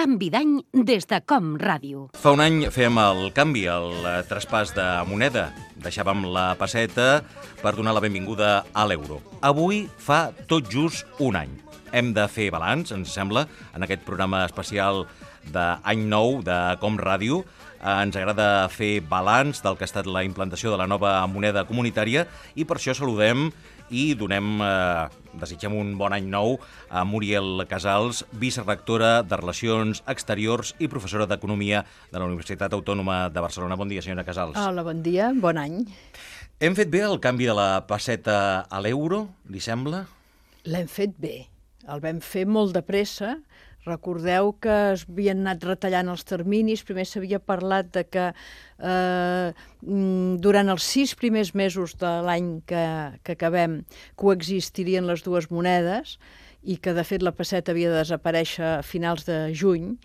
canvi d'any des de Com Ràdio. Fa un any fèiem el canvi, el traspàs de moneda. Deixàvem la pesseta per donar la benvinguda a l'euro. Avui fa tot just un any. Hem de fer balanç, ens sembla, en aquest programa especial d'any nou de Com Ràdio. Ens agrada fer balanç del que ha estat la implantació de la nova moneda comunitària i per això saludem i desitgem un bon any nou a Muriel Casals, vicerectora de Relacions Exteriors i professora d'Economia de la Universitat Autònoma de Barcelona. Bon dia, senyora Casals. Hola, bon dia, bon any. Hem fet bé el canvi de la pesseta a l'euro, li sembla? L'hem fet bé. El vam fer molt de pressa. Recordeu que es havien anat retallant els terminis. Primer s'havia parlat de que durant els 6 primers mesos de l'any que acabem coexistirien les dues monedes i que, de fet, la pesseta havia de desaparèixer a finals de juny.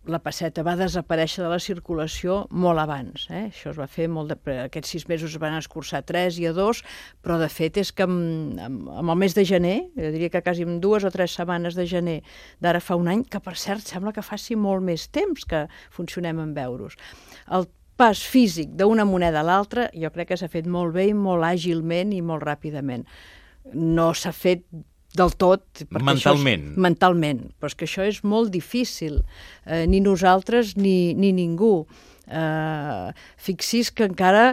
La pesseta va desaparèixer de la circulació molt abans. Això es va fer aquests 6 mesos es van escurçar a 3 i a 2, però de fet és que amb el mes de gener, jo diria que quasi en 2 o 3 setmanes de gener d'ara fa un any, que per cert sembla que faci molt més temps que funcionem amb euros. El pas físic d'una moneda a l'altra jo crec que s'ha fet molt bé i molt àgilment i molt ràpidament. No s'ha fet del tot. Mentalment. Mentalment, però és que això és molt difícil. Ni nosaltres ni ningú. Fixi's que encara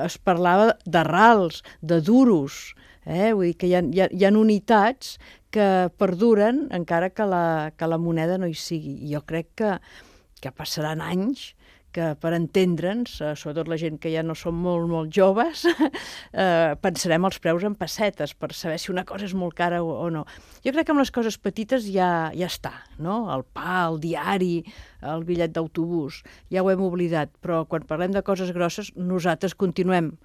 es parlava de rals, de duros. Vull dir que hi ha unitats que perduren encara que la moneda no hi sigui. I jo crec que passaran anys que per entendre'ns, sobretot la gent que ja no som molt joves, pensarem els preus en pessetes per saber si una cosa és molt cara o no. Jo crec que amb les coses petites ja està, no? El pa, el diari, el bitllet d'autobús, ja ho hem oblidat, però quan parlem de coses grosses nosaltres continuem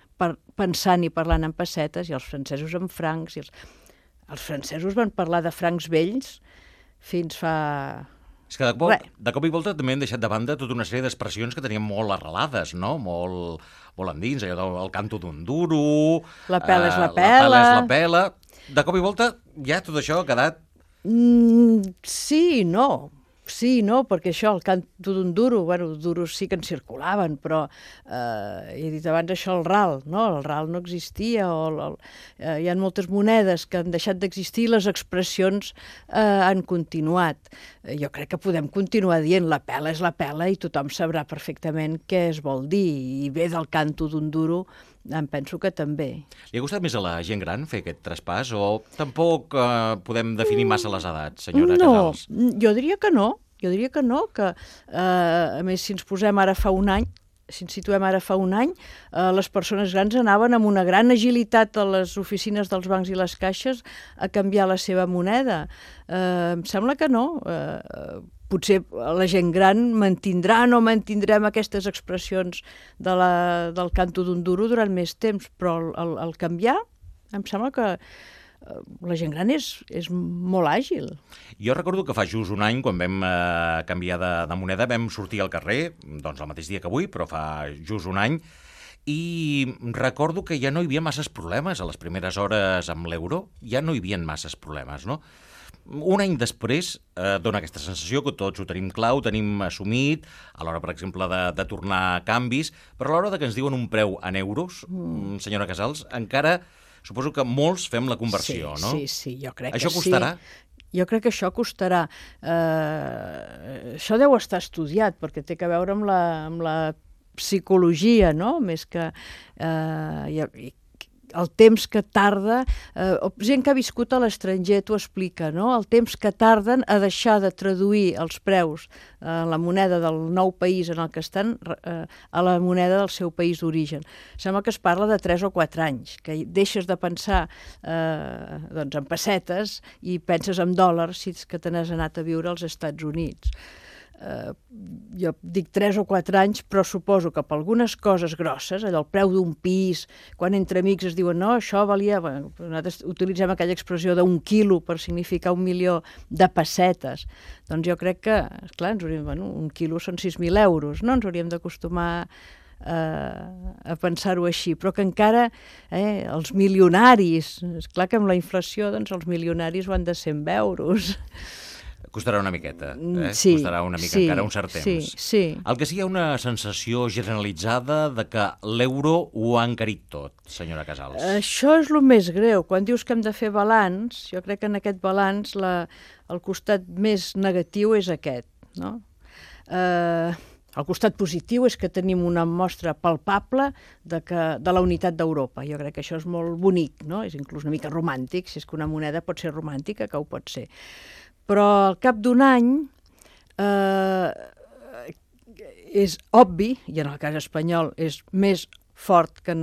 pensant i parlant en pessetes i els francesos en francs. Els francesos van parlar de francs vells fins fa... És que de cop i volta també hem deixat de banda tota una sèrie d'expressions que teníem molt arrelades, no? Molt endins, allò del canto d'un duro... La pela és la pela. La pela és la pela. De cop i volta ja tot això ha quedat... Sí, no, perquè això, el canto d'un duro, duros sí que en circulaven, però he dit abans això, el ral no existia, hi ha moltes monedes que han deixat d'existir i les expressions han continuat. Jo crec que podem continuar dient la pela és la pela i tothom sabrà perfectament què es vol dir, i bé del canto d'un duro em penso que també. Li ha gustat més a la gent gran fer aquest traspàs o tampoc podem definir massa les edats, senyora Casals? No, jo diria que no, que a més si ens posem ara fa un any, si ens situem ara fa un any, les persones grans anaven amb una gran agilitat a les oficines dels bancs i les caixes a canviar la seva moneda. Em sembla que no. Potser la gent gran mantindrà o no mantindrem aquestes expressions del canto d'un duro durant més temps, però el canviar em sembla que la gent gran és molt àgil. Jo recordo que fa just un any, quan vam canviar de moneda, vam sortir al carrer, doncs el mateix dia que avui, però fa just un any, i recordo que ja no hi havia masses problemes a les primeres hores amb l'euro, ja no hi havia masses problemes, no? Un any després dona aquesta sensació que tots ho tenim clar, ho tenim assumit, a l'hora, per exemple, de tornar canvis, però a l'hora que ens diuen un preu en euros, senyora Casals, encara suposo que molts fem la conversió, no? Sí, jo crec que sí. Això costarà? Jo crec que això costarà. Això deu estar estudiat, perquè té a veure amb la psicologia, no? Més que el temps que tarda, gent que ha viscut a l'estranger t'ho explica, no? El temps que tarden a deixar de traduir els preus la moneda del nou país en el que estan a la moneda del seu país d'origen. Sembla que es parla de 3 o 4 anys, que deixes de pensar en pessetes i penses en dòlars si és que te n'has anat a viure als Estats Units. Jo dic 3 o 4 anys, però suposo que per algunes coses grosses, allò el preu d'un pis, quan entre amics es diuen no, això valia... Nosaltres utilitzem aquella expressió d'1 quilo per significar 1 milió de pessetes. Doncs jo crec que, esclar, 1 quilo són 6.000 euros, no? Ens hauríem d'acostumar a pensar-ho així, però que encara els milionaris, esclar que amb la inflació doncs els milionaris van de 100 euros. Costarà una miqueta, Sí, costarà una mica, sí, encara un cert temps. Sí. El que sí hi ha una sensació generalitzada de que l'euro ho ha encarit tot, senyora Casals. Això és el més greu. Quan dius que hem de fer balanç, jo crec que en aquest balanç el costat més negatiu és aquest, no? El costat positiu és que tenim una mostra palpable de la unitat d'Europa. Jo crec que això és molt bonic, no? És inclús una mica romàntic, si és que una moneda pot ser romàntica, que ho pot ser. Però al cap d'un any és obvi, i en el cas espanyol és més fort que en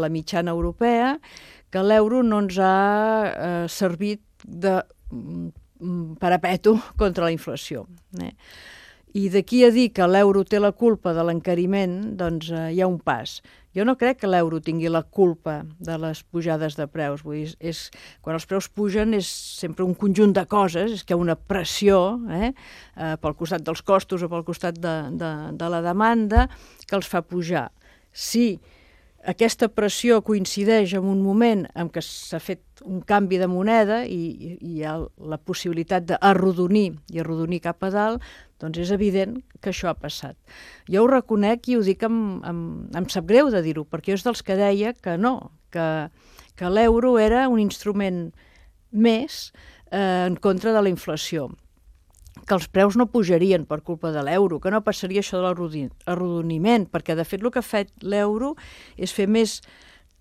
la mitjana europea, que l'euro no ens ha servit de parapeto contra la inflació. I d'aquí a dir que l'euro té la culpa de l'encariment, doncs hi ha un pas. Jo no crec que l'euro tingui la culpa de les pujades de preus. Vull dir, quan els preus pugen és sempre un conjunt de coses, és que hi ha una pressió pel costat dels costos o pel costat de la demanda que els fa pujar. Si aquesta pressió coincideix en un moment en què s'ha fet un canvi de moneda i hi ha la possibilitat d'arrodonir i arrodonir cap a dalt, doncs és evident que això ha passat. Jo ho reconec i ho dic, em sap greu de dir-ho, perquè jo és dels que deia que no, que l'euro era un instrument més en contra de la inflació, que els preus no pujarien per culpa de l'euro, que no passaria això de l'arrodoniment, perquè de fet el que ha fet l'euro és fer més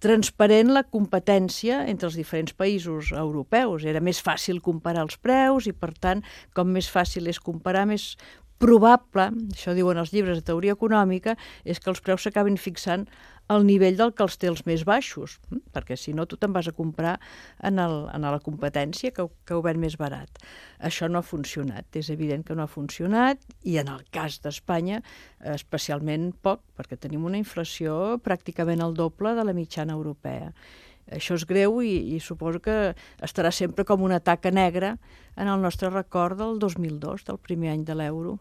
transparent la competència entre els diferents països europeus. Era més fàcil comparar els preus i, per tant, com més fàcil és comparar, més probable, això diuen els llibres de teoria econòmica, és que els preus s'acabin fixant al nivell del que els té els més baixos, perquè si no tu te'n vas a comprar en la competència que ho ven més barat. Això no ha funcionat, és evident que no ha funcionat, i en el cas d'Espanya especialment poc, perquè tenim una inflació pràcticament el doble de la mitjana europea. Això és greu i suposo que estarà sempre com una taca negra en el nostre record del 2002, del primer any de l'euro.